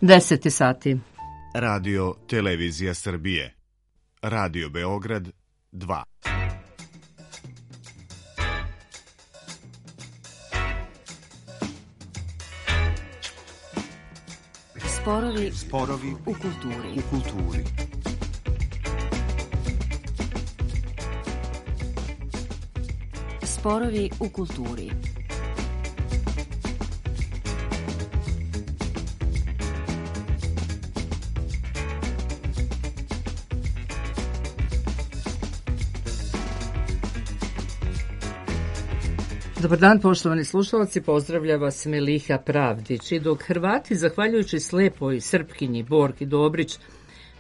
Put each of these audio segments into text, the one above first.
10 sati. Radio Televizija Srbije. Radio Beograd 2. Sporovi u kulturi. Sporovi u kulturi. Dobar dan, poštovani slušalci, pozdravlja vas Meliha Pravdić. I dok Hrvati, zahvaljujući slepoj Srpkinji Borki Dobrić,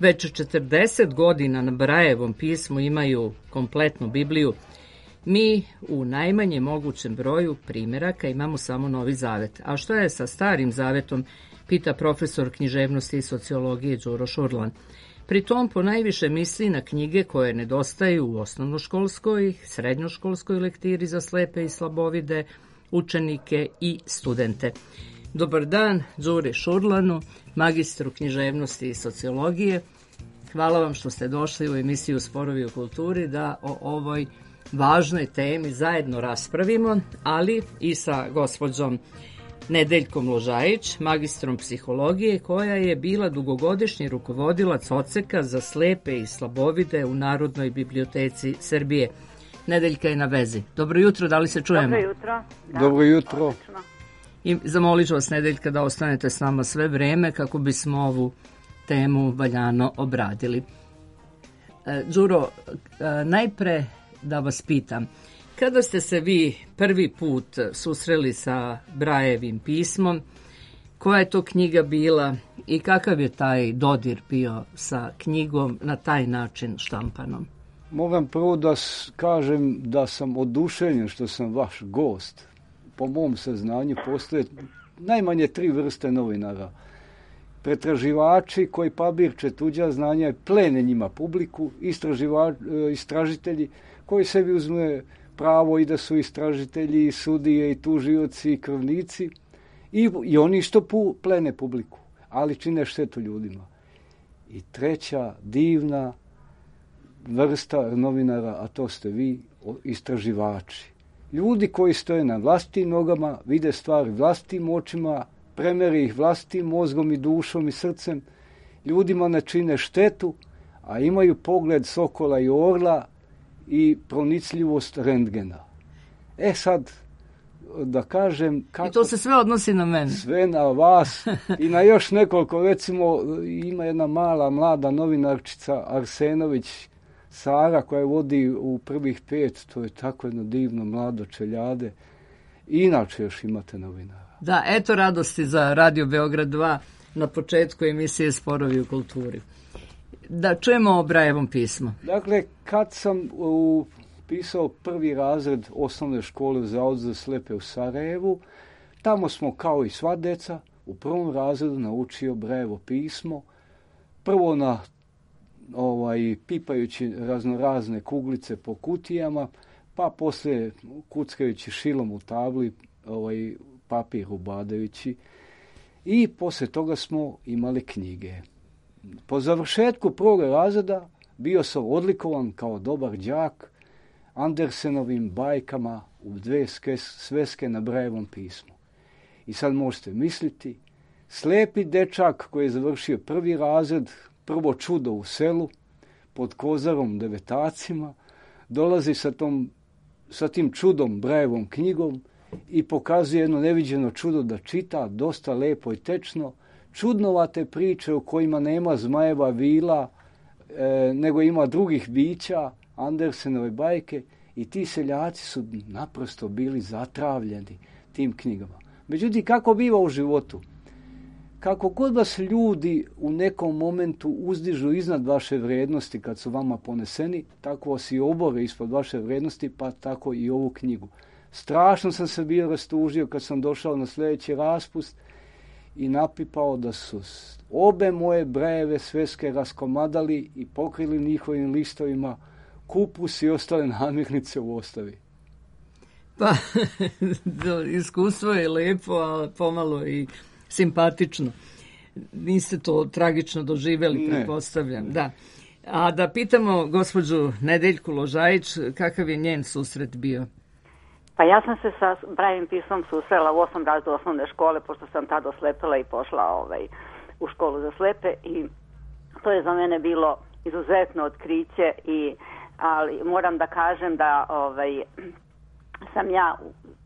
već 40 godina na Brajevom pismu imaju kompletnu Bibliju, mi u najmanje mogućem broju primjeraka imamo samo Novi Zavet. A što je sa Starim Zavetom, pita profesor književnosti i sociologije Đuro Šurlan. Pri tom ponajviše misli na knjige koje nedostaju u osnovnoškolskoj, srednjoškolskoj lektiri za slepe i slabovide, učenike i studente. Dobar dan Đuri Šurlanu, magistru književnosti i sociologije. Hvala vam što ste došli u emisiju Sporovi u kulturi da o ovoj važnoj temi zajedno raspravimo, ali i sa gospođom Nedeljkom Ložajić, magistrom psihologije, koja je bila dugogodišnji rukovodilac odseka za slepe i slabovide u Narodnoj biblioteci Srbije. Nedeljka je na vezi. Dobro jutro, da li se čujemo? Dobro jutro. Da, dobro jutro. Odlično. I zamolit ću vas, Nedeljka, da ostanete s nama sve vreme kako bismo ovu temu valjano obradili. Đuro, najpre da vas pitam, kada ste se vi prvi put susreli sa Brajevim pismom, koja je to knjiga bila i kakav je taj dodir bio sa knjigom na taj način štampanom? Moram prvo da kažem da sam oduševljen što sam vaš gost. Po mom saznanju postoje najmanje 3 vrste novinara. Pretraživači koji pabirče tuđa znanja i plene njima publiku, istražitelji koji sebi uzme pravo i da su istražitelji, i sudije, i tužioci, i krvnici, i oni što plene publiku, ali čine štetu ljudima. I treća divna vrsta novinara, a to ste vi, istraživači. Ljudi koji stoje na vlastitim nogama, vide stvari vlastitim očima, premere ih vlastitim mozgom i dušom i srcem, ljudima ne čine štetu, a imaju pogled sokola i orla i pronicljivost rentgena. Sad, da kažem... Kako, i to se sve odnosi na mene. Sve na vas i na još nekoliko, recimo, ima jedna mala, mlada novinarčica Arsenović Sara koja vodi u prvih 5, to je tako jedno divno mlado čeljade. Inače još imate novinara. Da, eto radosti za Radio Beograd 2 na početku emisije Sporovi u kulturi. Da čujemo o Brajevom pismu. Dakle, kad sam pisao prvi razred osnovne škole u Zavodu za slepe u Sarajevu, tamo smo kao i sva deca u prvom razredu naučio Brajevo pismo. Prvo na pipajući raznorazne kuglice po kutijama, pa poslije kuckajući šilom u tabli, papir ubadajući, i poslije toga smo imali knjige. Po završetku prvog razreda bio sam odlikovan kao dobar đak Andersenovim bajkama u 2 sveske na Brajevom pismu. I sad možete misliti, slepi dečak koji je završio prvi razred, prvo čudo u selu, pod kozarom devetacima, dolazi sa tim čudom Brajevom knjigom i pokazuje jedno neviđeno čudo da čita, dosta lepo i tečno, čudnovate priče u kojima nema zmajeva vila, nego ima drugih bića, Andersenove bajke, i ti seljaci su naprosto bili zatravljeni tim knjigama. Međutim, kako biva u životu? Kako god vas ljudi u nekom momentu uzdižu iznad vaše vrijednosti kad su vama poneseni, tako vas i obore ispod vaše vrijednosti, pa tako i ovu knjigu. Strašno sam se bio rastužio kad sam došao na sljedeći raspust i napipao da su obe moje Brajeve sveske raskomadali i pokrili njihovim listovima kupus i ostale namirnice u ostavi. Pa, iskustvo je lepo, a pomalo i simpatično. niste to tragično doživjeli, pretpostavljam. Da. A da pitamo gospođu Nedeljku Ložajić, kakav je njen susret bio? Pa ja sam se sa Braillovim pismom susrela u 8. razredu osnovne škole, pošto sam tada oslepela i pošla u školu za slepe, i to je za mene bilo izuzetno otkriće, ali moram da kažem da sam ja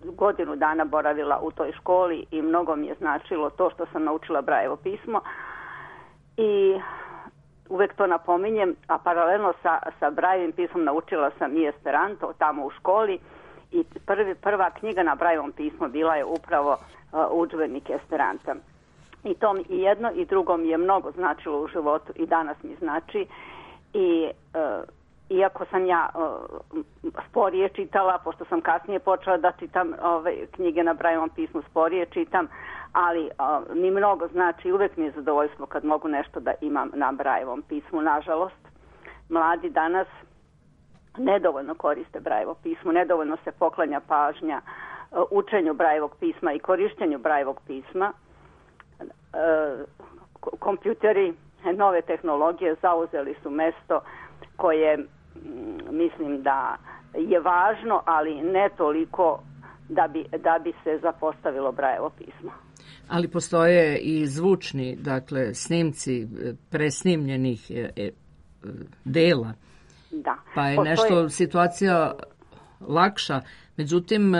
godinu dana boravila u toj školi i mnogo mi je značilo to što sam naučila Braillevo pismo, i uvek to napominjem, a paralelno sa Braillovim pismom naučila sam i Esperanto tamo u školi, i prva knjiga na Braillevom pismu bila je upravo udžbenik Esperanta. I to mi i jedno i drugo mi je mnogo značilo u životu i danas mi znači, i iako sam ja sporije čitala, pošto sam kasnije počela da čitam knjige na Braillevom pismu, sporije čitam, ali mi mnogo znači, uvek mi je zadovoljstvo kad mogu nešto da imam na Braillevom pismu. Nažalost, mladi danas nedovoljno koriste Braillevo pismo, nedovoljno se poklanja pažnja učenju Braillovog pisma i korištenju Braillovog pisma. Kompjuteri, nove tehnologije zauzeli su mesto koje mislim da je važno, ali ne toliko da bi se zapostavilo Braillevo pismo. Ali postoje i zvučni, dakle, snimci presnimljenih dela. Da. Pa je nešto situacija lakša. Međutim,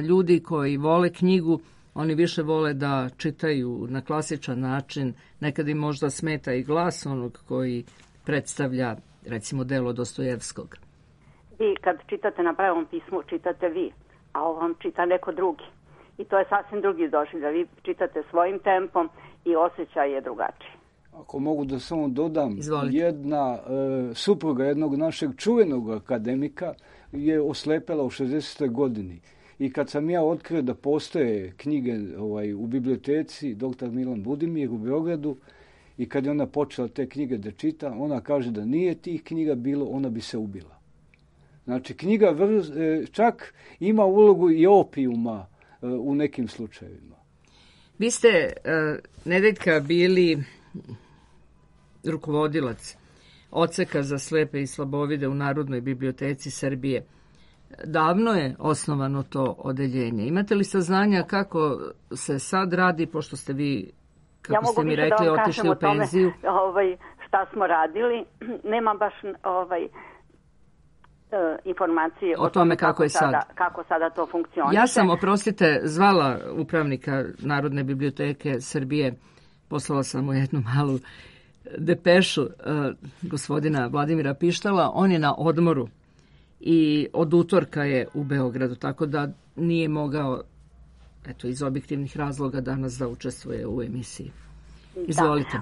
ljudi koji vole knjigu, oni više vole da čitaju na klasičan način. Nekad im možda smeta i glas onog koji predstavlja, recimo, delo Dostojevskog. Vi kad čitate na Braillevom pismu, čitate vi, a ovo vam čita neko drugi. I to je sasvim drugi doživljaj. Vi čitate svojim tempom i osjećaj je drugačiji. Ako mogu da samo dodam, Izvolite. Jedna supruga jednog našeg čuvenog akademika je oslepela u 60. godini. I kad sam ja otkrio da postoje knjige u biblioteci Dr. Milan Budimir u Beogradu, i kad je ona počela te knjige da čita, ona kaže da nije tih knjiga bilo, ona bi se ubila. Znači, knjiga čak ima ulogu i opijuma u nekim slučajevima. Vi ste, Nedeljka, bili rukovodilac odseka za slepe i slabovide u Narodnoj biblioteci Srbije. Davno je osnovano to odeljenje. Imate li saznanja kako se sad radi, pošto ste vi, kako ste mi rekli, otišli u penziju? Šta smo radili, nemam baš informacije o tome kako je sada. Kako sada to funkcioniše. Ja sam, oprostite, zvala upravnika Narodne biblioteke Srbije, poslala sam mu jednu malu depešu gospodina Vladimira Pištala. On je na odmoru i od utorka je u Beogradu, tako da nije mogao, eto, iz objektivnih razloga danas da učestvuje u emisiji. Izvolite.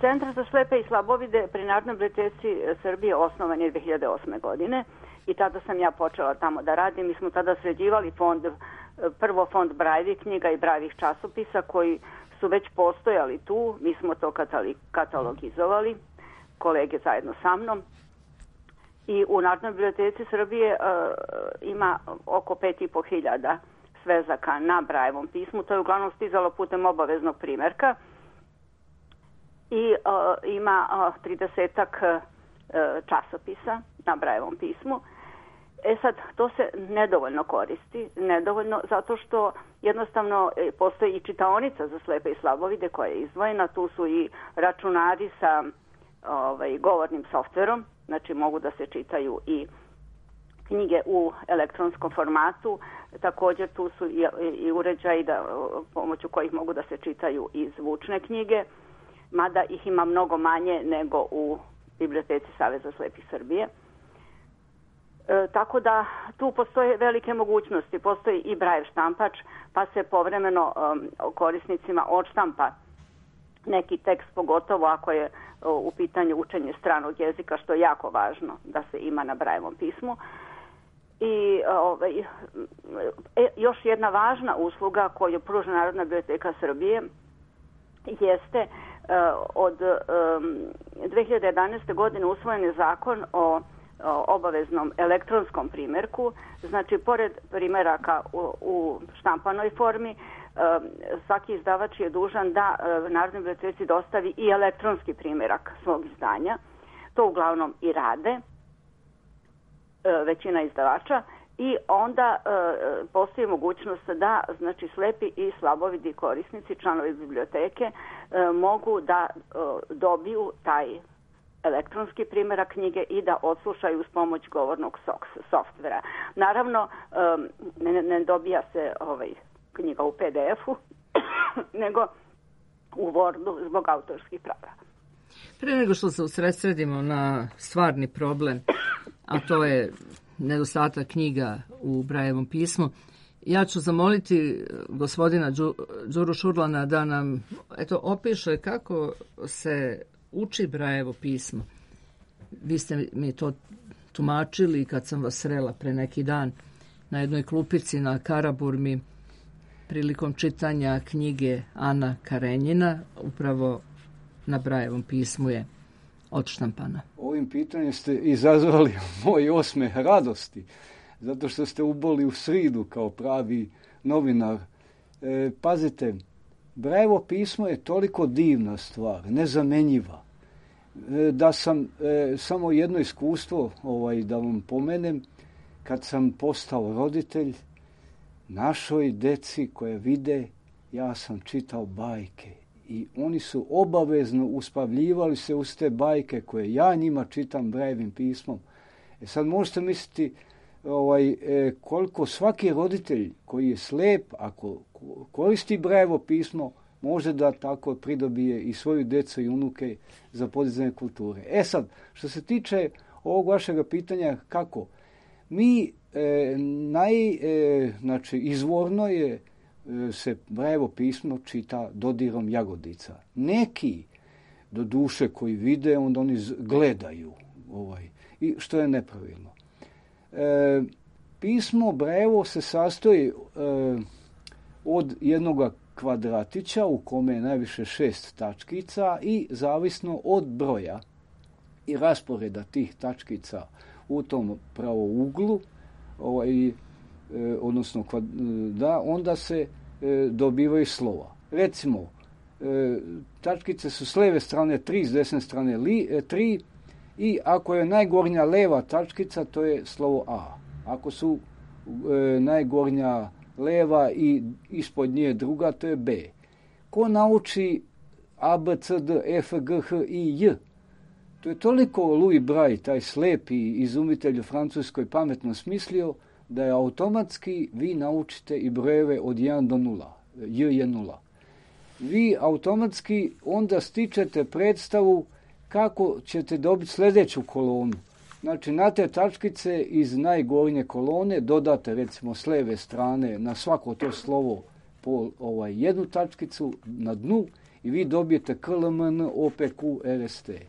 Centar za slepe i slabovide pri Narodnoj biblioteci Srbije osnovan je 2008. godine i tada sam ja počela tamo da radim. Mi smo tada sređivali prvo fond Braillovih knjiga i Braillovih časopisa koji su već postojali tu. Mi smo to katalogizovali, kolege zajedno sa mnom. I u Narodnoj biblioteci Srbije ima oko 5.500 svezaka na Braillevom pismu. To je uglavnom stizalo putem obaveznog primerka. I ima 30-ak časopisa na Braillevom pismu. Sad, to se nedovoljno koristi, nedovoljno zato što jednostavno postoji i čitaonica za slepe i slabovide koja je izdvojena. Tu su i računari sa govornim softverom, znači mogu da se čitaju i knjige u elektronskom formatu. Također tu su i uređaji pomoću kojih mogu da se čitaju i zvučne knjige, mada ih ima mnogo manje nego u Biblioteci Saveza slepih Srbije. Tako da tu postoje velike mogućnosti. Postoji i Braille štampač, pa se povremeno korisnicima odštampa neki tekst, pogotovo ako je u pitanju učenje stranog jezika, što je jako važno da se ima na Braillevom pismu. I još jedna važna usluga koju pruža Narodna biblioteka Srbije jeste od 2011. godine usvojen je zakon o obaveznom elektronskom primjerku. Znači, pored primjeraka u štampanoj formi, svaki izdavač je dužan da Narodnoj biblioteci dostavi i elektronski primjerak svog izdanja. To uglavnom i rade većina izdavača i onda postoji mogućnost da znači slepi i slabovidi korisnici, članovi biblioteke mogu da dobiju taj elektronski primjerak knjige i da odslušaju uz pomoć govornog softvera. Naravno, ne dobija se knjiga u PDF-u, nego u Wordu zbog autorskih prava. Pre nego što se usredsredimo na stvarni problem, a to je nedostatak knjiga u Brajevom pismu, ja ću zamoliti gospodina Đuru Šurlana da nam opiše kako se uči Brajevo pismo. Vi ste mi to tumačili kad sam vas srela pre neki dan na jednoj klupici na Karaburmi prilikom čitanja knjige Ana Karenjina, upravo na Brajevom pismu je odštampana. Ovim pitanjem ste izazvali moj osmeh radosti, zato što ste uboli u sridu kao pravi novinar. Pazite, Brajevo pismo je toliko divna stvar, nezamenjiva, da sam samo jedno iskustvo da vam pomenem. Kad sam postao roditelj, našoj deci koje vide, ja sam čitao bajke i oni su obavezno uspavljivali se uz te bajke koje ja njima čitam Brajevim pismom. Sad možete misliti koliko svaki roditelj koji je slep, ako koristi Brajevo pismo, može da tako pridobije i svoju djecu i unuke za podizanje kulture. Sad, što se tiče ovog vašega pitanja kako, mi izvorno je se Brajevo pismo čita dodirom jagodica. Neki, do duše koji vide, onda oni gledaju, i što je nepravilno. Pismo Brajevo se sastoji od jednog kvadratića u kome je najviše 6 tačkica i zavisno od broja i rasporeda tih tačkica u tom pravouglu, odnosno onda se dobivaju slova. Recimo, tačkice su s lijeve strane 3, s desne strane 3 i ako je najgornja leva tačkica, to je slovo A. Ako su najgornja leva i ispod nje druga, to je B. Ko nauči A, B, C, D, E, F, G, H, I, J? To je toliko Louis Braille, taj slepi izumitelj u Francuskoj, pametno smislio da je automatski vi naučite i brojeve od 1 do 0. J je 0. Vi automatski onda stičete predstavu kako ćete dobiti sljedeću kolonu. Znači, na te tačkice iz najgornje kolone dodate, recimo, s lijeve strane na svako to slovo po jednu tačkicu na dnu i vi dobijete K, L, M, N, O, P, Q, R, S, T.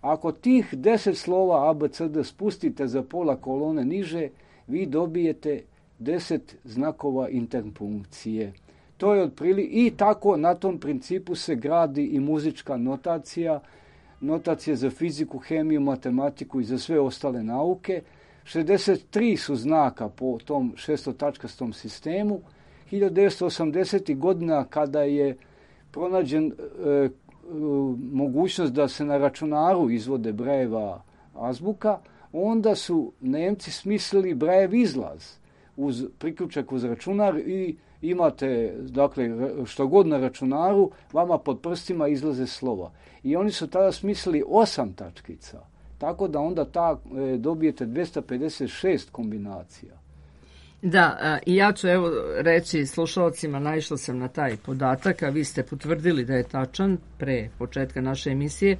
Ako tih 10 slova A, B, C, D spustite za pola kolone niže, vi dobijete 10 znakova interpunkcije. To je otprilike i tako na tom principu se gradi i muzička notacija, notacije za fiziku, hemiju, matematiku i za sve ostale nauke. 63 su znaka po tom šestotačkastom sistemu. 1980. godina kada je pronađen mogućnost da se na računaru izvode Brajeva azbuka, onda su Nemci smislili Brajev izlaz uz priključak uz računar i imate, dakle, što god na računaru, vama pod prstima izlaze slova. I oni su tada smislili 8 tačkica, tako da onda dobijete 256 kombinacija. Da, i ja ću reći slušalcima, naišla sam na taj podatak, a vi ste potvrdili da je tačan pre početka naše emisije,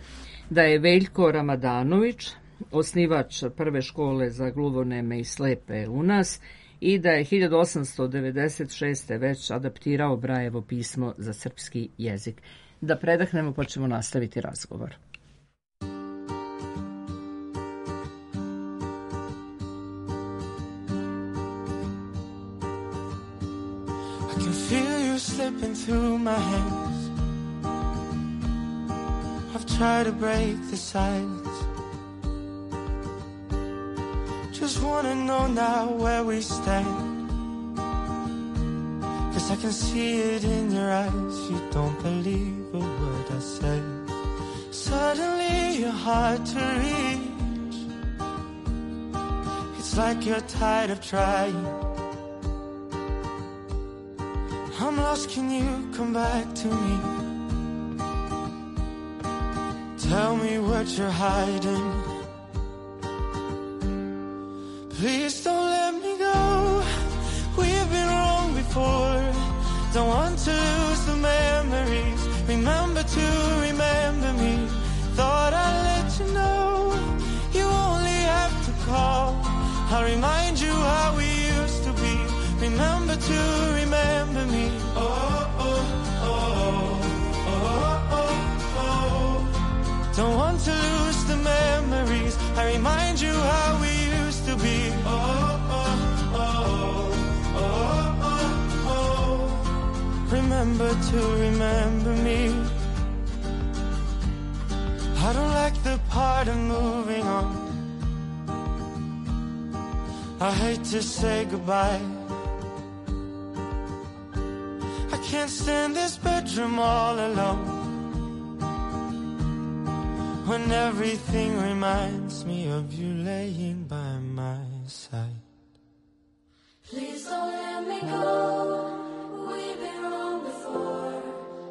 da je Veljko Ramadanović, osnivač prve škole za gluhoneme i slepe u nas, i da je 1896. već adaptirao Brajevo pismo za srpski jezik. Da predahnemo pa ćemo nastaviti razgovor. I can feel you slipping through my hands. I've tried to break the silence. Just wanna know now where we stand. Yes, I can see it in your eyes. You don't believe a word I say. Suddenly you're hard to reach. It's like you're tired of trying. I'm lost, can you come back to me? Tell me what you're hiding. Please don't let me go. We've been wrong before. Don't want to lose the memories. Remember to remember me. Thought I'd let you know. You only have to call. I'll remind you how we used to be. Remember to remember me. Oh, oh, oh, oh, oh, oh. Don't want to lose the memories. I remind you how we used to be. Oh, oh, oh, oh, oh, oh. Remember to remember me. I don't like the part of moving on. I hate to say goodbye. I can't stand this bedroom all alone. When everything reminds me of you laying by my side. Please don't let me go. We've been wrong before.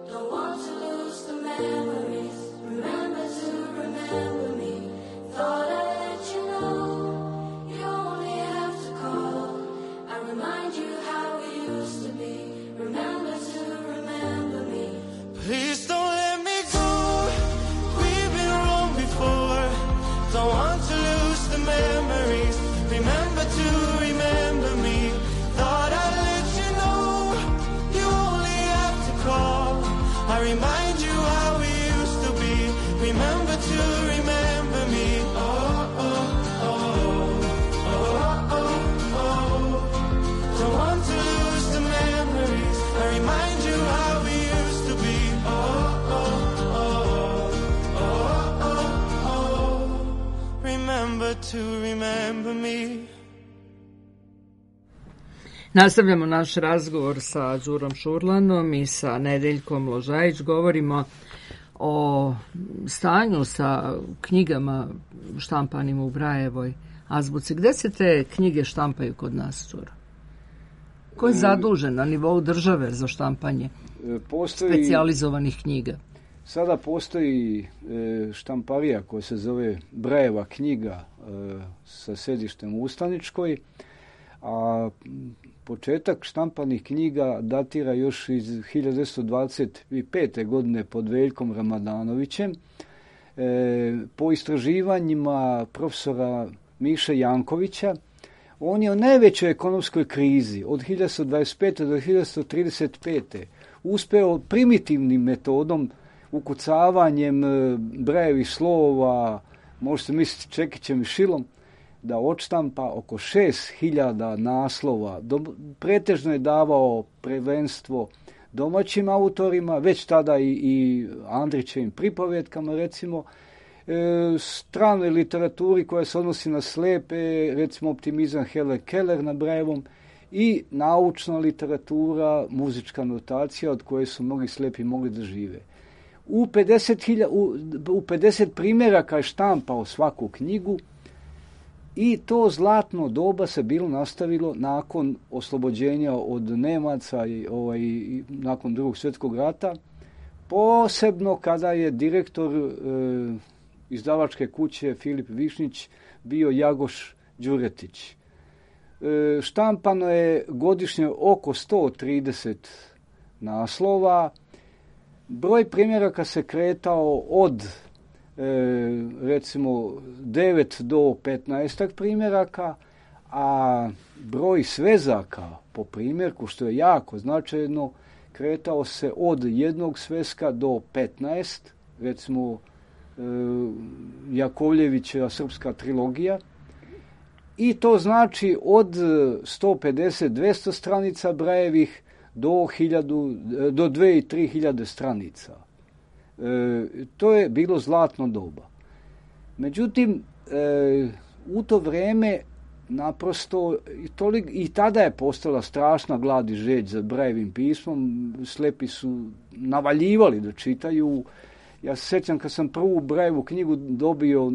Don't want to lose the memories. Remember to remember me. Thought I'd let you know. You only have to call. I remind you how we used to be. Remember to remember me. Please don't let me go. We've been wrong before. Don't want to lose the memories. Remember to remember me. Thought I'd let you know. You only have to call. I remind you how we used to be. Remember to remember me. Oh, oh, oh, oh, oh, oh. Don't want to lose the memories. I remind you how we used to be. Oh, oh, oh, oh, oh, oh. Remember to remember me. Nastavljamo naš razgovor sa Đurom Šurlanom i sa Nedeljkom Ložajić. Govorimo o stanju sa knjigama štampanim u Brajevoj azbuci. Gde se te knjige štampaju kod nas, Đuro? Ko je zadužen na nivou države za štampanje specijalizovanih knjiga? Sada postoji štamparija koja se zove Brajeva knjiga sa sedištem u Ustaničkoj, a početak štampanih knjiga datira još iz 1925. godine pod Veljkom Ramadanovićem. Po istraživanjima profesora Miše Jankovića, on je u najvećoj ekonomskoj krizi od 1925. do 1935. uspeo primitivnim metodom, ukucavanjem brajevih slova, možete misliti čekićem i šilom, da odštampa oko 6.000 naslova. Pretežno je davao prvenstvo domaćim autorima, već tada i Andrićevim pripovetkama, recimo, stranoj literaturi koja se odnosi na slepe, recimo Optimizam Hele Keller na Brajevom, i naučna literatura, muzička notacija od koje su mnogi slepi mogli da žive. U 50 primjeraka je štampao svaku knjigu i to zlatno doba se bilo nastavilo nakon oslobođenja od Nemaca i nakon Drugog svjetskog rata, posebno kada je direktor izdavačke kuće Filip Višnjić bio Jagoš Đuretić. Štampano je godišnje oko 130 naslova. Broj primjeraka se kretao od recimo 9 do 15 primjeraka, a broj svezaka po primjerku, što je jako značajno, kretao se od jednog sveska do 15, recimo Jakovljevićeva Srpska trilogija, i to znači od 150-200 stranica Brajevih do 2 i 3 hiljade stranica. To je bilo zlatno doba. Međutim, u to vrijeme naprosto i tada je postala strašna glad i žeđ za Brajevim pismom. Slepi su navaljivali da čitaju. Ja se sjećam kad sam prvu Brajevu knjigu dobio,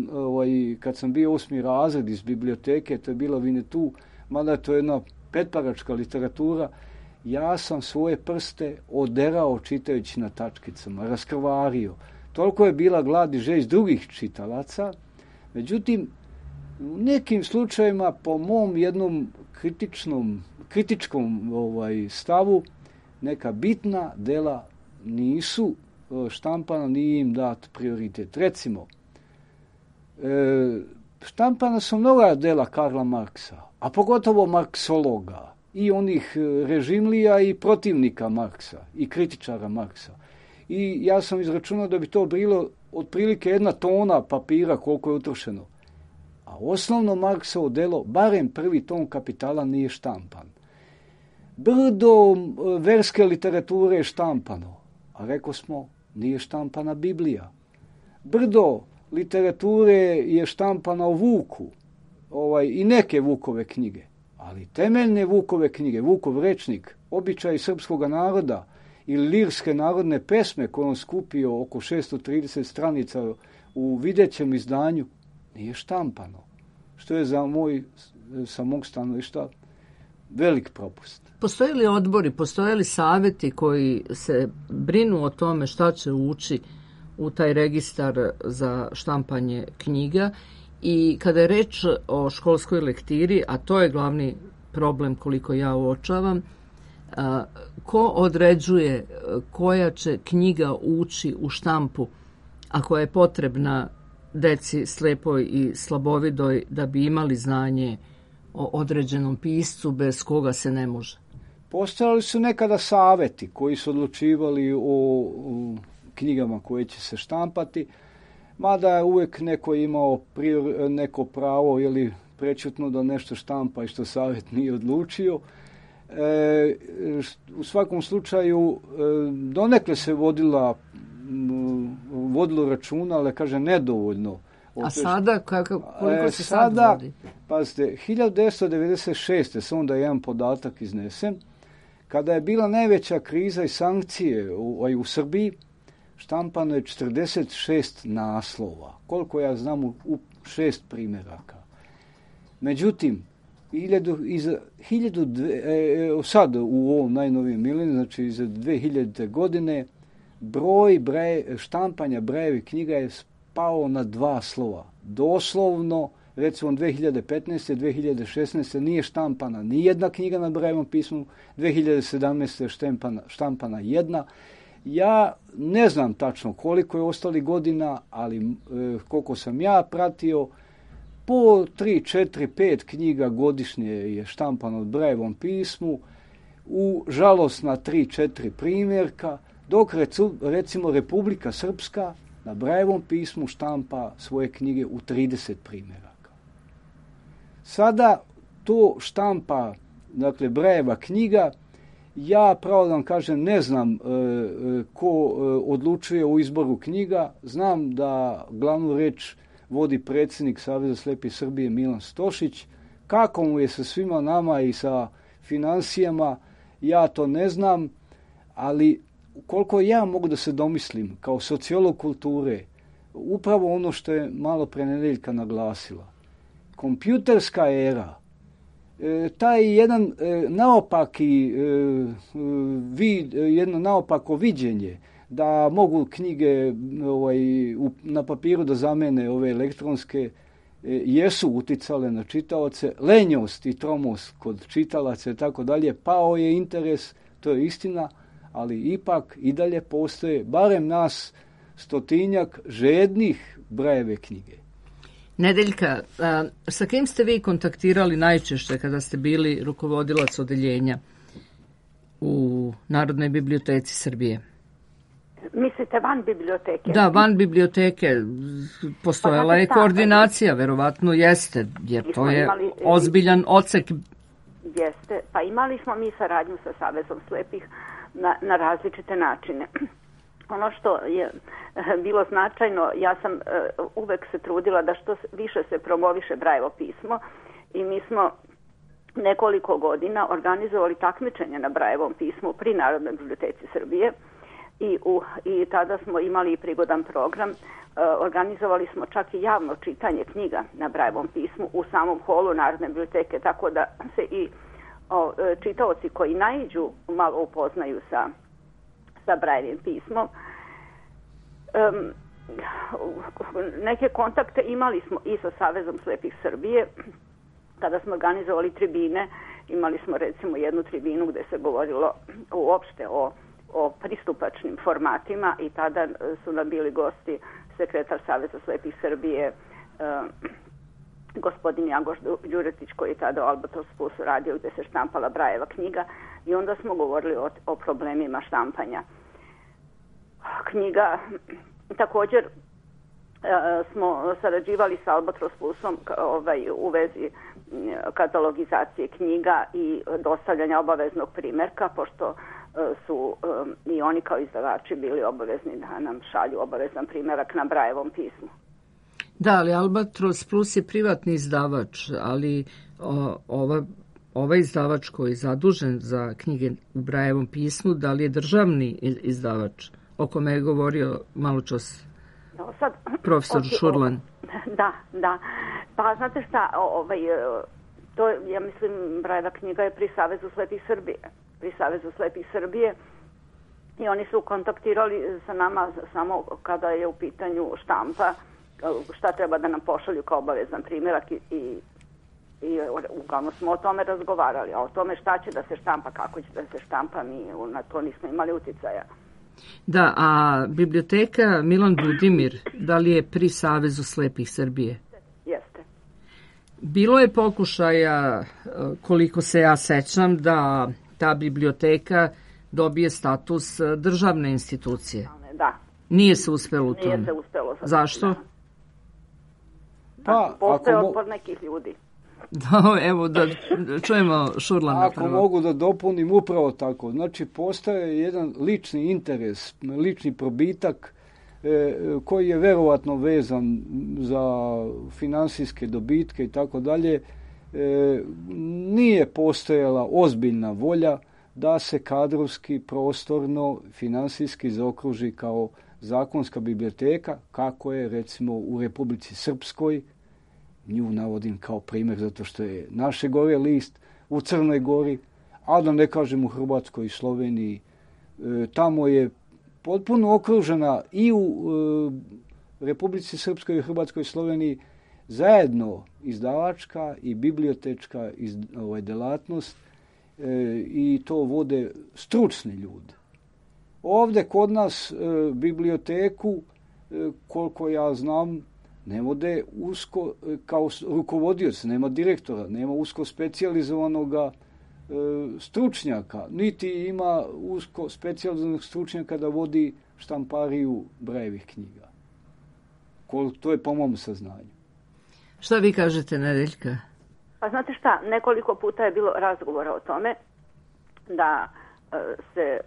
kad sam bio 8. razred iz biblioteke, to je bila Winnetou, mada je to jedna petparačka literatura, ja sam svoje prste oderao čitajući na tačkicama, raskrvario. Toliko je bila glad i žeđ drugih čitalaca. Međutim, u nekim slučajevima, po mom jednom kritičkom stavu, neka bitna dela nisu štampana, nije im dat prioritet. Recimo, štampana su mnoga dela Karla Marksa, a pogotovo marksologa i onih režimlija i protivnika Marksa i kritičara Marksa. I ja sam izračunao da bi to bilo otprilike 1 tona papira koliko je utrošeno. A osnovno Marksovo delo, barem prvi tom Kapitala, nije štampan. Brdo verske literature je štampano, a rekao smo, nije štampana Biblija. Brdo literature je štampana u Vuku, i neke Vukove knjige, ali temeljne Vukove knjige, Vukov rečnik, običaj srpskog naroda ili lirske narodne pesme koje on skupio oko 630 stranica u videćem izdanju, nije štampano. Što je sa mog stanovišta velik propust. Postoje li odbori, postoje li savjeti koji se brinu o tome šta će ući u taj registar za štampanje knjiga? I kada je reč o školskoj lektiri, a to je glavni problem koliko ja uočavam, ko određuje koja će knjiga ući u štampu, a koja je potrebna deci slepoj i slabovidoj da bi imali znanje o određenom piscu bez koga se ne može? Postojali su nekada saveti koji su odlučivali o knjigama koje će se štampati, mada je uvijek neko imao neko pravo ili prečutno da nešto štampa i što savjet nije odlučio. U svakom slučaju donekle se vodilo računa, ali kaže nedovoljno. A sada, koliko se sad vodi? Pazite, 1996. sam onda jedan podatak iznesem, kada je bila najveća kriza i sankcije u Srbiji, štampano je 46 naslova, koliko ja znam u 6 primjeraka. Međutim, sad u ovom najnovijem mileniju, znači iza 2000. godine, broj štampanja Brajevih knjiga je pao na 2 slova. Doslovno, recimo 2015. 2016. nije štampana ni jedna knjiga na Brajevom pismu, 2017. je štampana jedna. Ja ne znam tačno koliko je ostali godina, ali koliko sam ja pratio, po 3, 4, 5 knjiga godišnje je štampano od Brajevom pismu, u žalosna 3, 4 primjerka, dok recimo Republika Srpska na Brajevom pismu štampa svoje knjige u 30 primjeraka. Sada to štampa, dakle, Brajeva knjiga, ja pravo da vam kažem ne znam ko odlučuje o izboru knjiga, znam da glavnu reč vodi predsjednik Saveza slijepih Srbije Milan Stošić. Kako mu je sa svima nama i sa financijama, ja to ne znam, ali koliko ja mogu da se domislim kao sociolog kulture, upravo ono što je malo pre Nedeljka naglasila. Kompjuterska era, taj jedan jedno naopako viđenje da mogu knjige na papiru da zamene ove elektronske, jesu uticale na čitaoce, lenjost i tromost kod čitalaca i tako dalje, pao je interes, to je istina, ali ipak i dalje postoje barem nas 100-tinjak žednih Brajeve knjige. Nedeljka, sa kim ste vi kontaktirali najčešće kada ste bili rukovodilac odeljenja u Narodnoj biblioteci Srbije? Mislite van biblioteke? Da, van biblioteke. Postojala je koordinacija, verovatno jeste, jer to je ozbiljan odsek. Jeste, pa imali smo mi saradnju sa Savezom slepih na različite načine. Ono što je bilo značajno, ja sam uvek se trudila da što više se promoviše Brajevo pismo i mi smo nekoliko godina organizovali takmičenje na Brajevom pismu pri Narodnoj biblioteci Srbije i tada smo imali i prigodan program. Organizovali smo čak i javno čitanje knjiga na Brajevom pismu u samom holu Narodne biblioteke, tako da se i čitaoci koji naiđu malo upoznaju sa Brajevim pismom. Neke kontakte imali smo i sa Savezom slepih Srbije. Kada smo organizovali tribine, imali smo recimo jednu tribinu gde se govorilo uopšte o pristupačnim formatima i tada su nam bili gosti sekretar Saveza slepih Srbije, gospodin Jangoš Đuretić, koji je tada u Albatros Plusu radio gde se štampala Brajeva knjiga, i onda smo govorili o problemima štampanja knjiga. Također smo sarađivali sa Albatros Plusom u vezi katalogizacije knjiga i dostavljanja obaveznog primerka, pošto su i oni kao izdavači bili obavezni da nam šalju obavezan primerak na Brajevom pismu. Da, ali Albatros Plus je privatni izdavač, ali ovaj izdavač koji je zadužen za knjige u Brajevom pismu, da li je državni izdavač, o kome je govorio malo čas profesor Šurlan? Da. Pa znate šta, to ja mislim Brajeva knjiga je pri Savezu slepih Srbije i oni su kontaktirali sa nama samo kada je u pitanju štampa, šta treba da nam pošalju kao obavezan primjerak i uglavnom smo o tome razgovarali, a o tome šta će da se štampa, kako će da se štampa, mi na to nismo imali uticaja. Da, a biblioteka Milan Budimir, da li je pri Savezu slepih Srbije? Jeste. Bilo je pokušaja, koliko se ja sećam, da ta biblioteka dobije status državne institucije. Da. Nije se uspelo u tome. Nije se uspelo. Zašto? Postoje otpor nekih ljudi. Da, evo da čujemo Šurlana. Ako mogu da dopunim, upravo tako. Znači, postaje jedan lični interes, lični probitak koji je verovatno vezan za finansijske dobitke i tako dalje. Nije postojala ozbiljna volja da se kadrovski, prostorno, finansijski zaokruži kao zakonska biblioteka, kako je recimo u Republici Srpskoj. Nju navodim kao primjer zato što je naše gore list, u Crnoj Gori, a da ne kažem u Hrvatskoj i Sloveniji. Tamo je potpuno okružena i u Republici Srpskoj i Hrvatskoj i Sloveniji zajedno izdavačka i bibliotečka delatnost i to vode stručni ljudi. Ovdje kod nas biblioteku, koliko ja znam, ne vode usko kao rukovodioc, nema direktora, nema usko specijalizovanog stručnjaka, niti ima usko specijalizovanog stručnjaka da vodi štampariju Brajevih knjiga. To je po mom saznanju. Šta vi kažete, Nedeljka? Pa znate šta, nekoliko puta je bilo razgovora o tome da se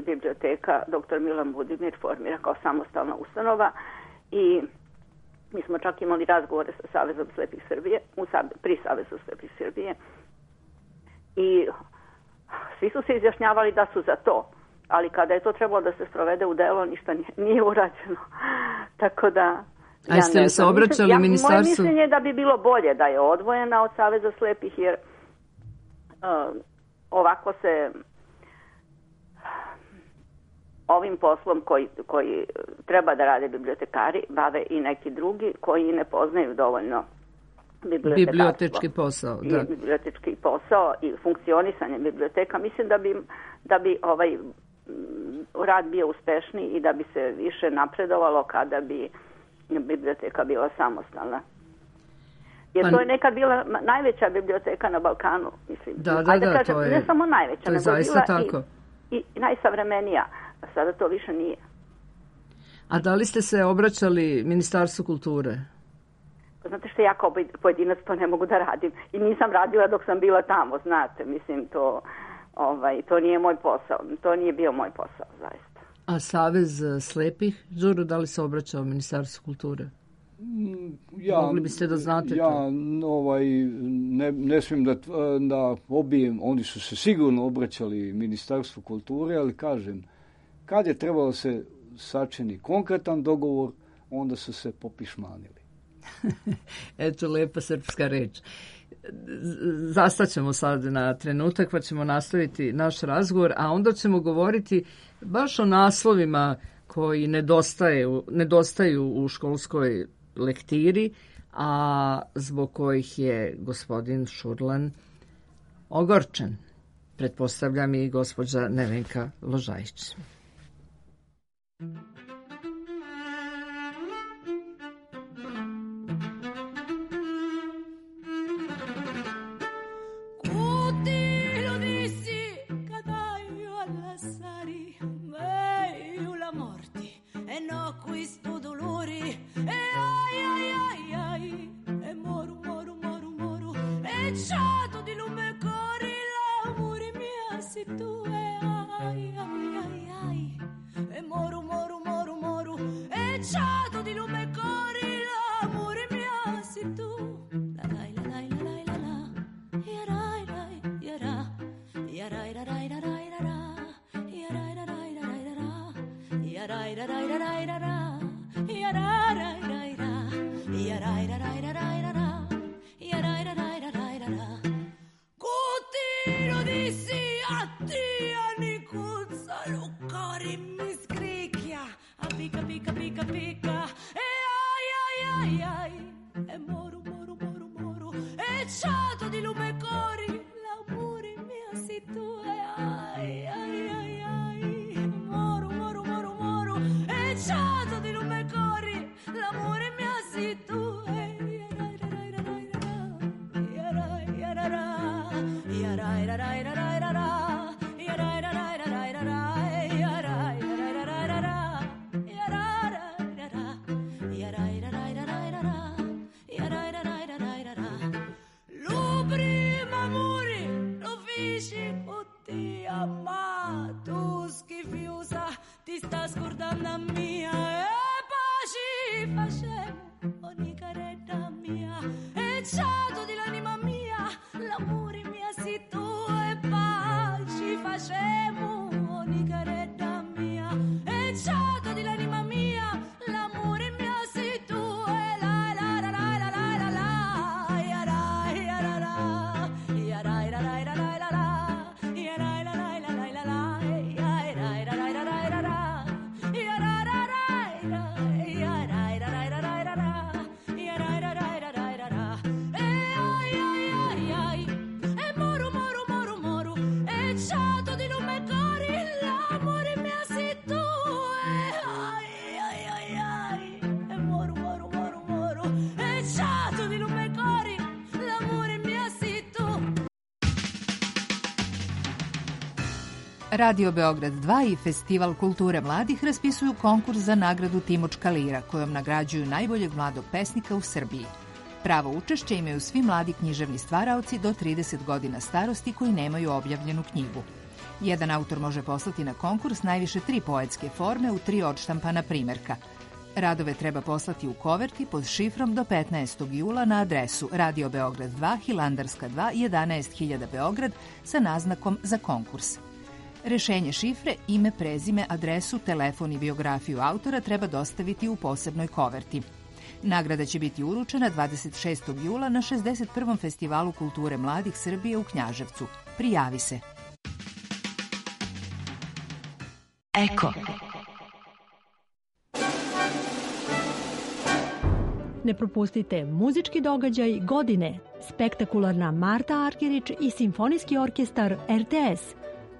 biblioteka dr. Milan Budimir formira kao samostalna ustanova i mi smo čak imali razgovore sa Savezom slepih Srbije, pri Savezu slepih Srbije i svi su se izjašnjavali da su za to, ali kada je to trebalo da se sprovede u delo, ništa nije urađeno. Tako da... A jeste li se obraćali ministarstvu? Moje mišljenje je da bi bilo bolje da je odvojena od Saveza slepih, jer ovako se ovim poslom koji treba da rade bibliotekari bave i neki drugi koji ne poznaju dovoljno bibliotečki posao. Da. Bibliotečki posao i funkcionisanje biblioteka. Mislim da bi ovaj rad bio uspešniji i da bi se više napredovalo kada bi biblioteka bila samostalna. Jer to je nekad bila najveća biblioteka na Balkanu, mislim. Da, kažem, to je, ne samo najveća, to je nego zaista bila tako. I najsavremenija. A sada to više nije. A da li ste se obraćali Ministarstvu kulture? Znate što, ja kao pojedinac to ne mogu da radim. I nisam radila dok sam bila tamo, znate. Mislim, to nije moj posao. To nije bio moj posao, zaista. A Savez slepih, Đuro, da li se obraćao Ministarstvu kulture? Mogli biste da znate to? Ne smijem da pobijem, oni su se sigurno obraćali Ministarstvu kulture, ali kažem, kad je trebalo se sačini konkretan dogovor, onda su se popišmanili. Eto, lepa srpska reč. Zastaćemo sad na trenutak, pa ćemo nastaviti naš razgovor, a onda ćemo govoriti baš o naslovima koji nedostaju u školskoj lektiri, a zbog kojih je gospodin Šurlan ogorčen. Pretpostavljam i gospođa Nevenka Ložajić. Radio Beograd 2 i Festival kulture mladih raspisuju konkurs za nagradu Timočka lira, kojom nagrađuju najboljeg mladog pesnika u Srbiji. Pravo učešće imaju svi mladi književni stvaraoci do 30 godina starosti koji nemaju objavljenu knjigu. Jedan autor može poslati na konkurs najviše 3 poetske forme u 3 odštampana primerka. Radove treba poslati u koverti pod šifrom do 15. jula na adresu Radio Beograd 2, Hilandarska 2, 11.000 Beograd sa naznakom za konkurs. Rešenje šifre, ime, prezime, adresu, telefon i biografiju autora treba dostaviti u posebnoj koverti. Nagrada će biti uručena 26. jula na 61. Festivalu kulture mladih Srbije u Knjaževcu. Prijavi se. Eko. Ne propustite muzički događaj godine, spektakularna Marta Arkerić i Simfonijski orkestar RTS.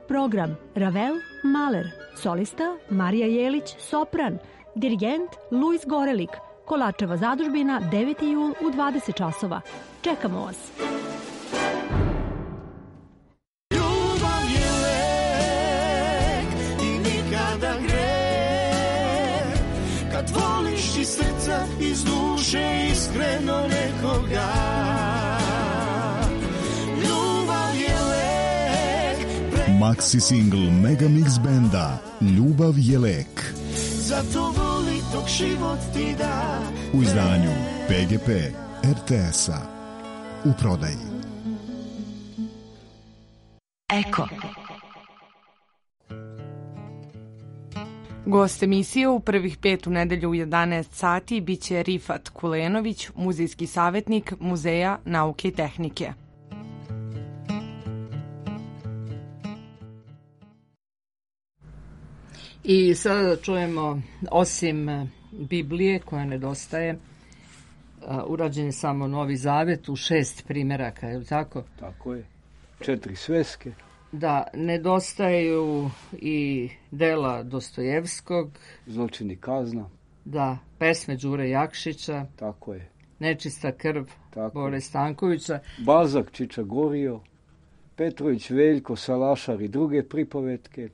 Program Ravel, Mahler, solista Marija Jelić, sopran, dirigent Luis Gorelik, Kolačeva zadužbina, 9. jul u 20 časova. Čekamo vas! Ljubav je lek i nikada greh, kad voliš iz srca, iz duše, iskreno nekoga. Maxi single Mega Mix benda Ljubav je lek. Zato voli dok život ti da. U izdanju PGP RTS-a. U prodaji. Eko. Gost emisije u prvih 5 u nedelju u 11 sati biće Rifat Kulenović, muzejski savjetnik Muzeja nauke i tehnike. I sada čujemo, osim Biblije koja nedostaje, urađen je samo Novi Zavet u 6 primjeraka, je li tako? Tako je. 4 sveske. Da, nedostaju i dela Dostojevskog. Zločin i kazna. Da, pesme Đure Jakšića. Tako je. Nečista krv Tako Bore Stankovića. Balzak Čiča Gorio. Petrović Veljko Salašar i druge pripovetke.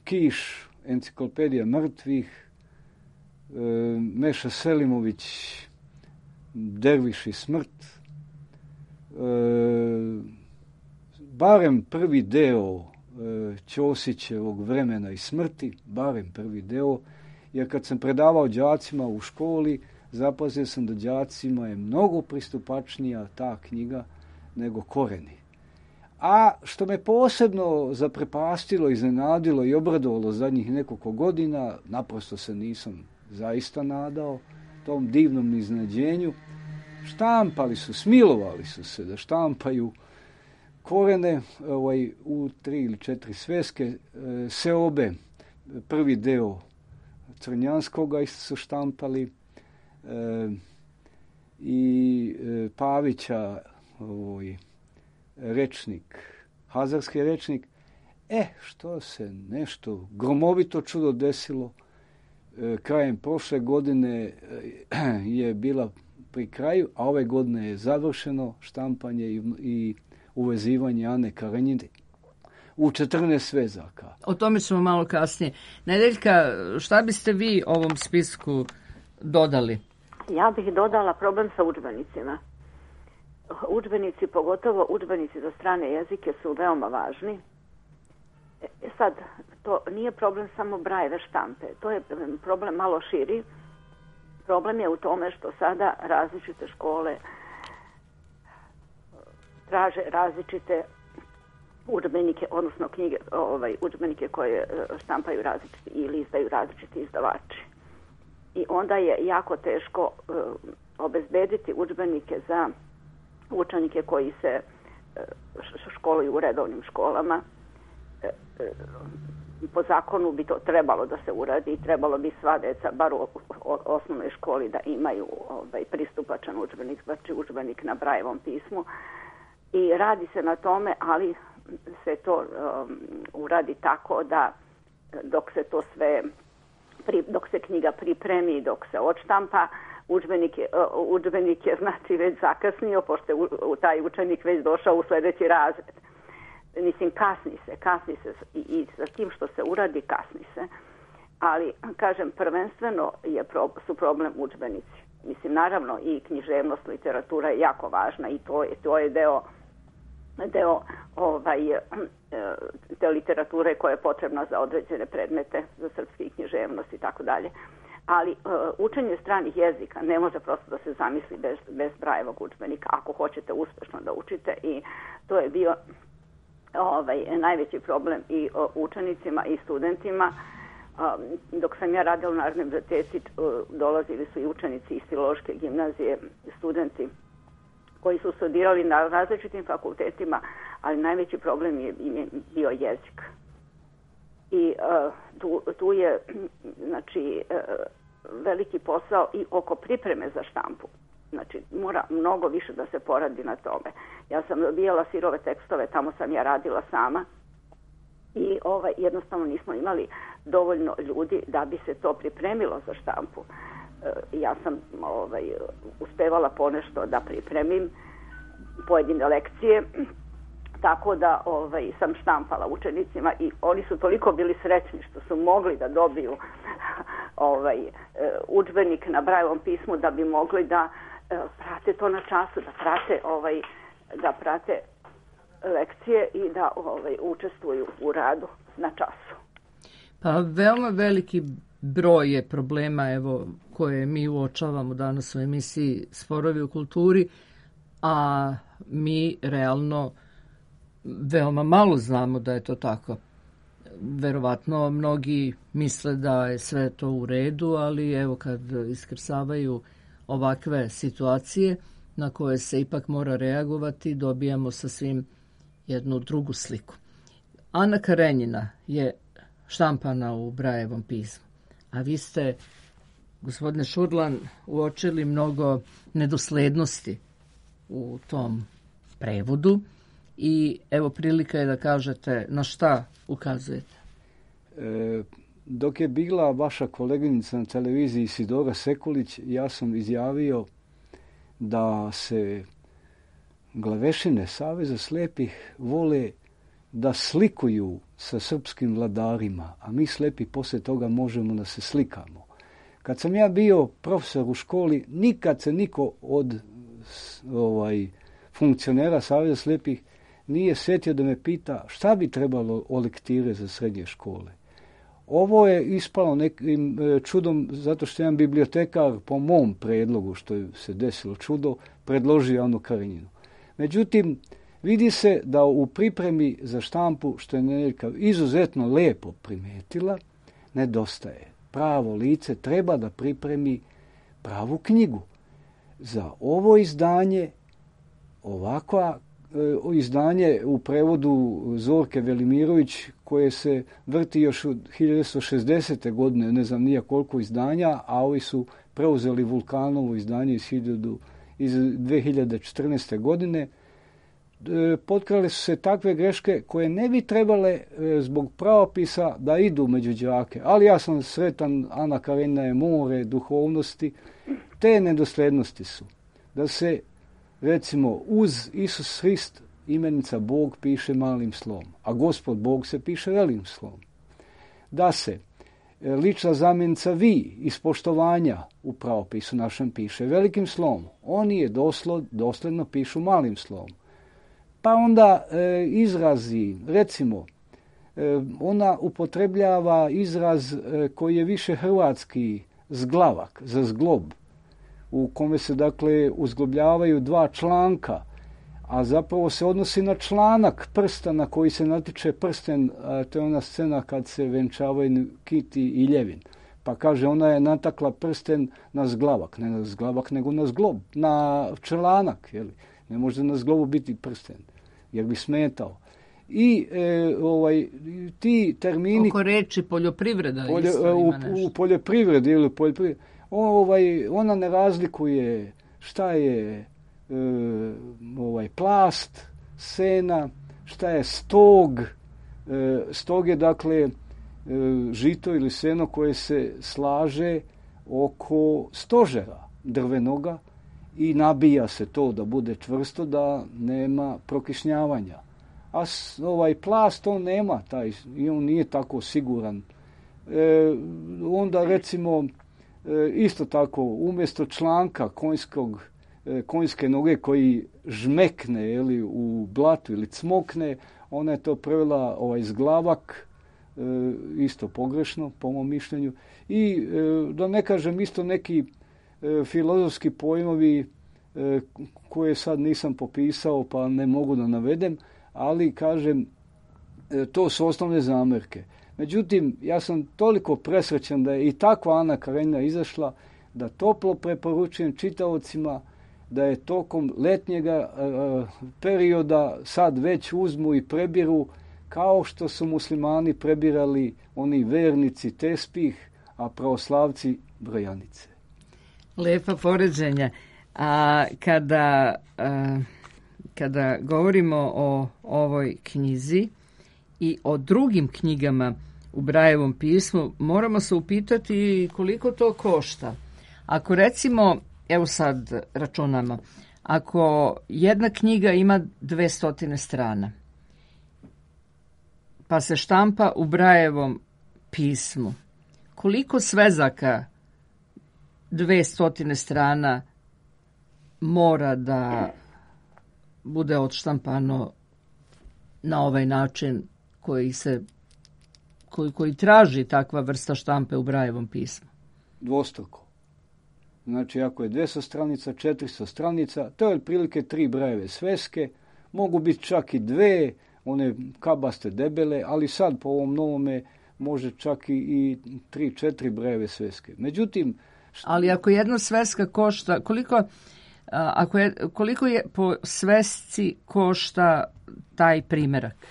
Kiš, Enciklopedija mrtvih. Meša Selimović, Derviš i smrt. Barem prvi deo Ćosićevog Vremena i smrti, barem prvi deo, jer kad sam predavao đacima u školi, zapazio sam da đacima je mnogo pristupačnija ta knjiga nego Koreni. A što me posebno zaprepastilo, iznenadilo i obradovalo zadnjih nekoliko godina, naprosto se nisam zaista nadao tom divnom iznenađenju, štampali su, smilovali su se da štampaju Korene u 3 ili 4 sveske, Seobe, prvi deo Crnjanskoga isto su štampali, i Pavića rečnik, Hazarski rečnik. Što se nešto gromovito čudo desilo, krajem prošle godine je bila pri kraju, a ove godine je završeno štampanje i uvezivanje Ane Karenjine u 14 svezaka. O tome ćemo malo kasnije. Nedeljka, šta biste vi ovom spisku dodali? Ja bih dodala problem sa udžbenicima. Udžbenici, pogotovo udžbenici za strane jezike, su veoma važni. Sad, to nije problem samo Brajeve štampe. To je problem malo širi. Problem je u tome što sada različite škole traže različite udžbenike, odnosno knjige, udžbenike koje štampaju različiti ili izdaju različiti izdavači. I onda je jako teško obezbediti udžbenike za učenike koji se školuju u redovnim školama. Po zakonu bi to trebalo da se uradi i trebalo bi sva deca, bar u osnovnoj školi, da imaju pristupačan udžbenik, znači udžbenik na Brajevom pismu. I radi se na tome, ali se to uradi tako da dok se to sve, dok se knjiga pripremi, dok se odštampa, udžbenik je znači već zakasnio, pošto je taj učenik već došao u sljedeći razred. Mislim, kasni se i sa tim što se uradi, kasni se. Ali, kažem, prvenstveno su problem udžbenici. Mislim, naravno i književnost, literatura je jako važna i to je deo te literature koja je potrebna za određene predmete, za srpski književnost i tako dalje. Ali učenje stranih jezika ne može prosto da se zamisli bez Brajevog udžbenika, ako hoćete uspešno da učite, i to je bio najveći problem i učenicima i studentima. Dok sam ja radila u Narodnoj biblioteci, dolazili su i učenici iz Filološke gimnazije, studenti koji su studirali na različitim fakultetima, ali najveći problem je bio jezik. I tu je znači veliki posao i oko pripreme za štampu. Znači, mora mnogo više da se poradi na tome. Ja sam dobijala sirove tekstove, tamo sam ja radila sama i jednostavno nismo imali dovoljno ljudi da bi se to pripremilo za štampu. Ja sam uspevala ponešto da pripremim pojedine lekcije, tako da sam štampala učenicima i oni su toliko bili srećni što su mogli da dobiju udžbenik na Brajevom pismu, da bi mogli da prate to na času, da prate lekcije i da učestvuju u radu na času. Pa veoma veliki broj je problema evo, koje mi uočavamo danas u emisiji Sporovi u kulturi, a mi realno veoma malo znamo da je to tako. Verovatno mnogi misle da je sve to u redu, ali evo kad iskrsavaju ovakve situacije na koje se ipak mora reagovati, dobijamo sasvim jednu drugu sliku. Ana Karenjina je štampana u Brajevom pismu, a vi ste, gospodine Šurlan, uočili mnogo nedoslednosti u tom prevodu i evo prilika je da kažete na šta ukazujete. Dok je bila vaša koleginica na televiziji Isidora Sekulić, ja sam izjavio da se glavešine Saveza slepih vole da slikuju sa srpskim vladarima, a mi slepi poslije toga možemo da se slikamo. Kad sam ja bio profesor u školi, nikad se niko od funkcionera Saveza slepih nije sjetio da me pita šta bi trebalo o lektire za srednje škole. Ovo je ispalo nekim čudom zato što jedan bibliotekar po mom predlogu, što je se desilo čudo, predložio Anu Karenjinu. Međutim, vidi se da u pripremi za štampu, što je Nedeljka izuzetno lepo primetila, nedostaje. Pravo lice treba da pripremi pravu knjigu. Za ovo izdanje, ovakva izdanje u prevodu Zorke Velimirović, koje se vrti još od 1960. godine, ne znam nija koliko izdanja, a ovi su preuzeli Vulkanovo izdanje iz 2014. godine, potkrale su se takve greške koje ne bi trebale zbog pravopisa da idu među đake. Ali ja sam sretan, Ana Karenjina je more duhovnosti. Te nedoslednosti su da se, recimo, uz Isus Hrist imenica Bog piše malim slovom, a Gospod Bog se piše velikim slovom. Da se lična zamjenica vi iz poštovanja u pravopisu našem piše velikim slovom. Oni je dosledno pišu malim slovom. Pa onda izrazi, recimo, ona upotrebljava izraz koji je više hrvatski zglavak, za zglob, u kome se dakle uzglobljavaju dva članka, a zapravo se odnosi na članak prsta na koji se natiče prsten, to je ona scena kad se venčavaju Kiti i Ljevin. Pa kaže, ona je natakla prsten na zglavak, ne na zglavak nego na zglob, na članak, jeli? Ne može na zglobu biti prsten, jer bi smetao. I ti termini... Oko reči poljoprivreda u poljoprivredi ili poljoprivredi, ona ne razlikuje šta je plast, sena, šta je stog. Stog je dakle žito ili seno koje se slaže oko stožera drvenoga i nabija se to da bude čvrsto, da nema prokišnjavanja. A plast on nema taj, i on nije tako siguran. Onda recimo isto tako umjesto članka konjske noge koji žmekne ili u blatu ili cmokne, ona je to prevela zglavak, isto pogrešno po mom mišljenju. I da ne kažem isto neki filozofski pojmovi koje sad nisam popisao pa ne mogu da navedem, ali kažem to su osnovne zamerke. Međutim, ja sam toliko presrećan da je i takva Ana Karenjina izašla da toplo preporučujem čitaocima da je tokom letnjega perioda sad već uzmu i prebiru kao što su muslimani prebirali oni vernici tespih, a pravoslavci brojanice. Lepa poređenja. A kada govorimo o ovoj knjizi i o drugim knjigama u Brajevom pismu, moramo se upitati koliko to košta. Ako recimo, evo sad računamo, ako jedna knjiga ima 200 strana, pa se štampa u Brajevom pismu, koliko svezaka 200 strana mora da bude odštampano na ovaj način koji traži takva vrsta štampe u Brajevom pismu? Dvostruko. Znači, ako je 200 stranica, 400 stranica, to je otprilike 3 Brajeve sveske, mogu biti čak i 2, one kabaste debele, ali sad po ovom novome može čak i 3-4 Brajeve sveske. Međutim... Ali ako jedna sveska košta, koliko je po svesci košta taj primerak?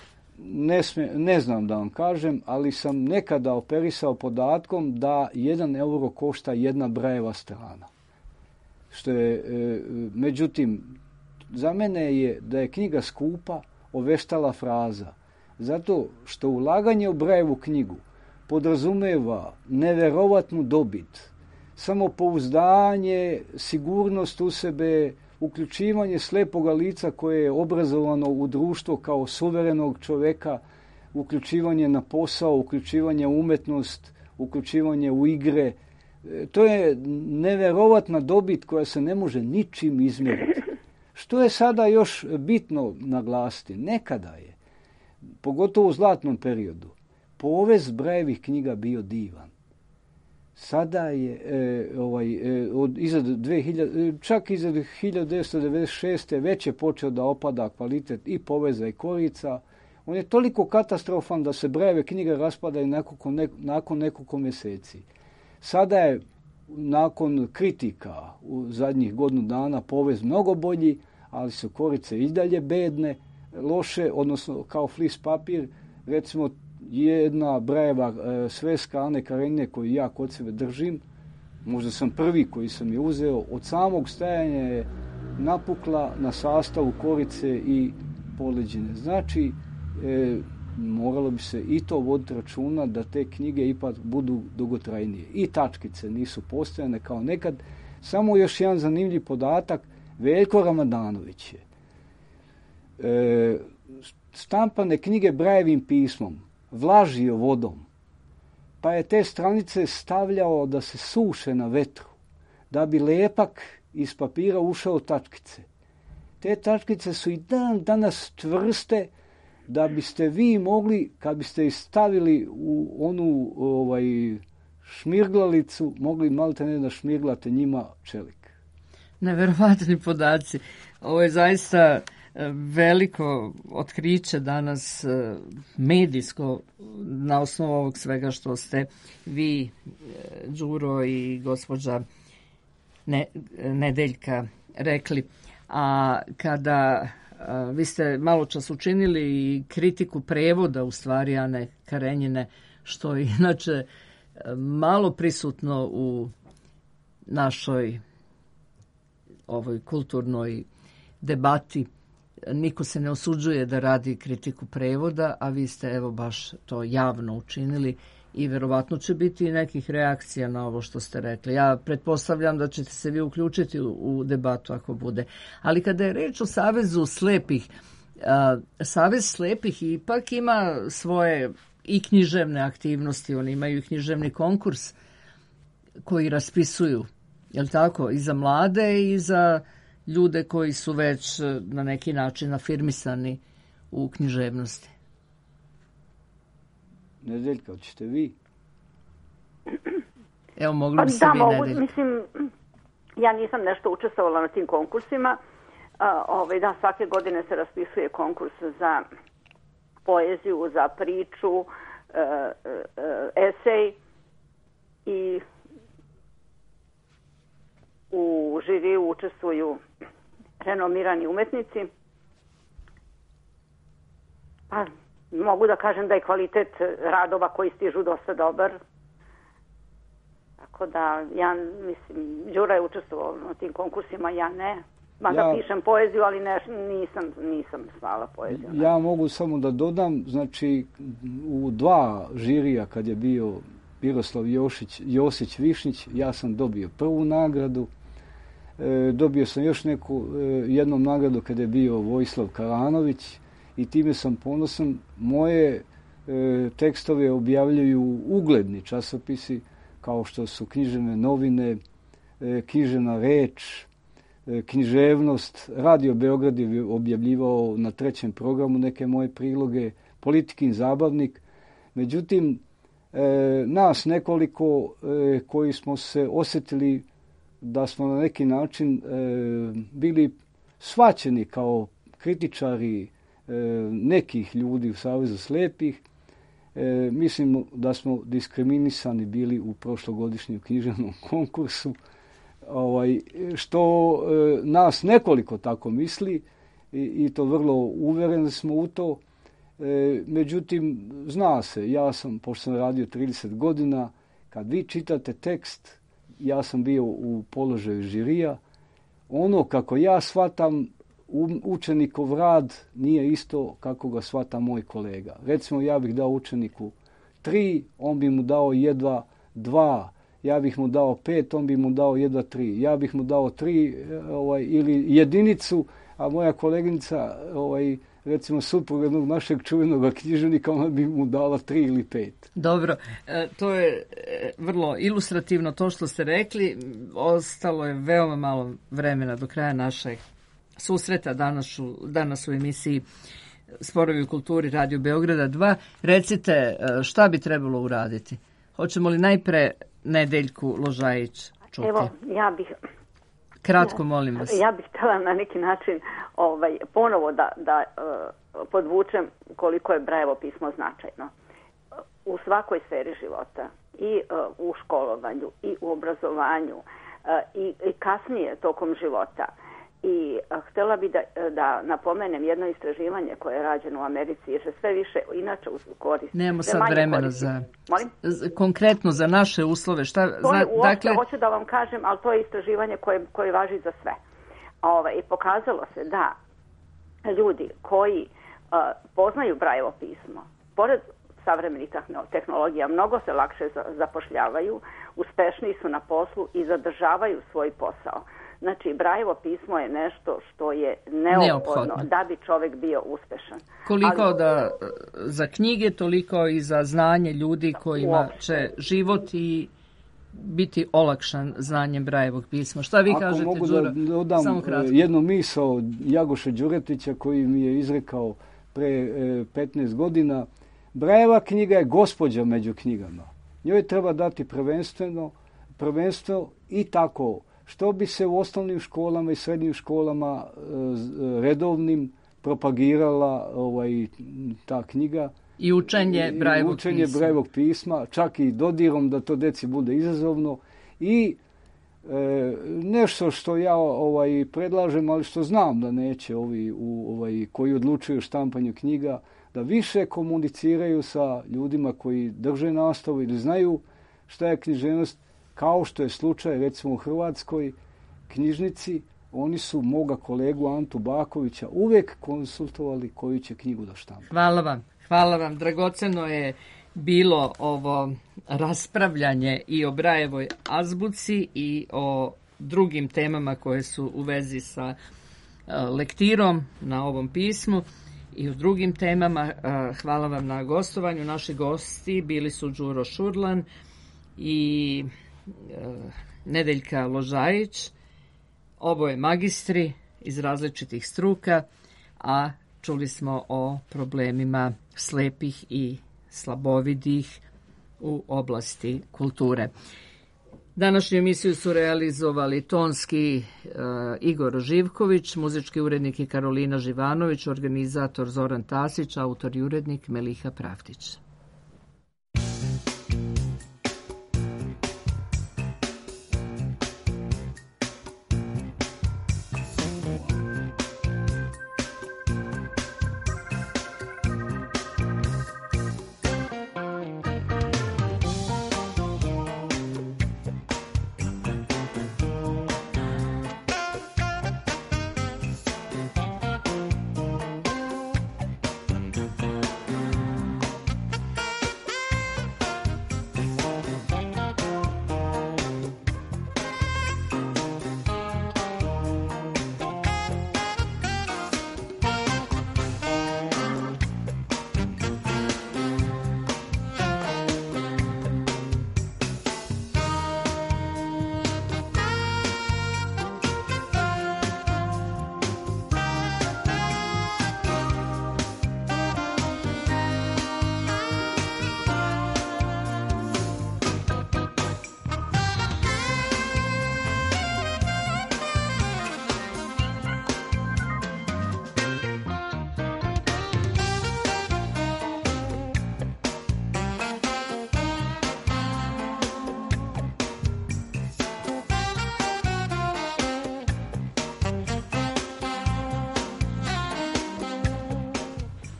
Ne znam da vam kažem, ali sam nekada operisao podatkom da 1 euro košta 1 Brajeva strana. Što je, međutim, za mene je da je knjiga skupa oveštala fraza. Zato što ulaganje u Brajevu knjigu podrazumeva neverovatnu dobit, samopouzdanje, sigurnost u sebe, uključivanje slepoga lica koje je obrazovano u društvo kao suverenog čoveka, uključivanje na posao, uključivanje u umetnost, uključivanje u igre. To je neverovatna dobit koja se ne može ničim izmjeriti. Što je sada još bitno naglasiti? Nekada je, pogotovo u zlatnom periodu, povez Brajevih knjiga bio divan. Sada je čak iza 1996. već je počeo da opada kvalitet i poveza i korica. On je toliko katastrofan da se Brajeve knjige raspadaju nakon nekoliko mjeseci. Sada je nakon kritika u zadnjih godinu dana povez mnogo bolji, ali su korice i dalje bedne, loše, odnosno kao flis papir. Recimo, jedna Brajeva sveska Ane Karenjine koju ja kod sebe držim, možda sam prvi koji sam je uzeo, od samog stajanja je napukla na sastavu korice i poleđine. Znači, moralo bi se i to voditi računa da te knjige ipak budu dugotrajnije. I tačkice nisu postojane kao nekad. Samo još jedan zanimljiv podatak, Veljko Ramadanović je štampane knjige Brajevim pismom vlažio vodom, pa je te stranice stavljao da se suše na vetru, da bi lepak iz papira ušao tačkice. Te tačkice su i danas čvrste, da biste vi mogli, kad biste ih stavili u onu šmirglalicu, mogli malte ne da šmirglate njima čelik. Neverovatni podaci. Ovo je zaista veliko otkriće danas medijsko na osnovu ovog svega što ste vi, Đuro i gospođa Nedeljka rekli. A kada vi ste malo čas učinili i kritiku prevoda u stvari Ane Karenjine, što je inače malo prisutno u našoj ovoj kulturnoj debati. Niko se ne osuđuje da radi kritiku prevoda, a vi ste evo baš to javno učinili i verovatno će biti nekih reakcija na ovo što ste rekli. Ja pretpostavljam da ćete se vi uključiti u debatu ako bude. Ali kada je reč o Savezu slepih, Savez slepih ipak ima svoje i književne aktivnosti, oni imaju i književni konkurs koji raspisuju, jel tako, i za mlade i za ljude koji su već na neki način afirmisani u književnosti. Nedeljka, hoćete vi? Evo, mogli bi se vi, Nedeljka. Mislim, ja nisam nešto učestvovala na tim konkursima. Da, svake godine se raspisuje konkurs za poeziju, za priču, esej i u žiriju učestvuju renomirani umetnici. Pa, mogu da kažem da je kvalitet radova koji stižu dosta dobar. Tako da, ja mislim, Đura je učestvovao na tim konkursima, ja ne. Mada pišem poeziju, ali nisam slala poeziju. Ja mogu samo da dodam, znači, u 2 žirija kad je bio Miroslav Josić Višnjić, ja sam dobio prvu nagradu. Dobio sam još jednom nagradu kada je bio Vojislav Karanović i time sam ponosan. Moje tekstove objavljuju ugledni časopisi kao što su Književne novine, Književna reč, Književnost. Radio Beograd je objavljivao na 3. programu neke moje priloge, Politikin zabavnik. Međutim, nas nekoliko koji smo se osjetili da smo na neki način bili shvaćeni kao kritičari nekih ljudi u Savezu slijepih. Mislim da smo diskriminisani bili u prošlogodišnjem književnom konkursu, što nas nekoliko tako misli i to vrlo uvjereni smo u to. Međutim, zna se, ja sam, pošto sam radio 30 godina, kad vi čitate tekst, ja sam bio u položaju žirija, ono kako ja shvatam učenikov rad nije isto kako ga shvata moj kolega. Recimo, ja bih dao učeniku 3, on bi mu dao jedva 2, ja bih mu dao 5, on bi mu dao jedva 3, ja bih mu dao 3 ili jedinicu, a moja koleginica, recimo suprug jednog našeg čuvenog književnika, ona bi mu dala 3 ili 5. Dobro, to je vrlo ilustrativno to što ste rekli. Ostalo je veoma malo vremena do kraja našeg susreta danas u emisiji Sporovi u kulturi Radio Beograda 2. Recite, šta bi trebalo uraditi? Hoćemo li najpre Nedeljku Ložajić čuti? Evo, ja bih... Kratko, molim vas. Ja bih htjela na neki način ponovo da podvučem koliko je Brajevo pismo značajno. U svakoj sferi života, i u školovanju, i u obrazovanju, i kasnije tokom života. I htjela bih da napomenem jedno istraživanje koje je rađeno u Americi, jer se sve više inače koristi. Nemamo sad vremena za... Konkretno za naše uslove. Hoću da vam kažem, ali to je istraživanje koje važi za sve. I pokazalo se da ljudi koji poznaju Brajevo pismo, pored savremenih tehnologija, mnogo se lakše zapošljavaju, uspešniji su na poslu i zadržavaju svoj posao. Znači, Brajevo pismo je nešto što je neophodno da bi čovjek bio uspešan. Koliko za knjige, toliko i za znanje ljudi kojima će život i biti olakšan znanjem Brajevog pisma. Šta vi kažete, Đuro? Ako mogu da dodam jednu misao Jagoše Đuretića koji mi je izrekao pre 15 godina. Brajeva knjiga je gospođa među knjigama. Njoj treba dati prvenstvo i tako. Što bi se u osnovnim školama i srednjim školama redovnim propagirala ta knjiga. I učenje Brajevog pisma, čak i dodirom da to deci bude izazovno. I nešto što ja predlažem, ali što znam da neće ovi koji odlučuju o štampanju knjiga, da više komuniciraju sa ljudima koji drže nastavu ili znaju šta je književnost, kao što je slučaj recimo u Hrvatskoj knjižnici. Oni su moga kolegu Antu Bakovića uvijek konsultovali koju će knjigu da štampa. Hvala vam. Dragoceno je bilo ovo raspravljanje i o Brajevoj azbuci i o drugim temama koje su u vezi sa lektirom na ovom pismu i o drugim temama. Hvala vam na gostovanju. Naši gosti bili su Đuro Šurlan i Nedeljka Ložajić, oboje magistri iz različitih struka, a čuli smo o problemima slepih i slabovidih u oblasti kulture. Današnju emisiju su realizovali tonski Igor Živković, muzički urednik i Karolina Živanović, organizator Zoran Tasić, autor i urednik Meliha Pravdić.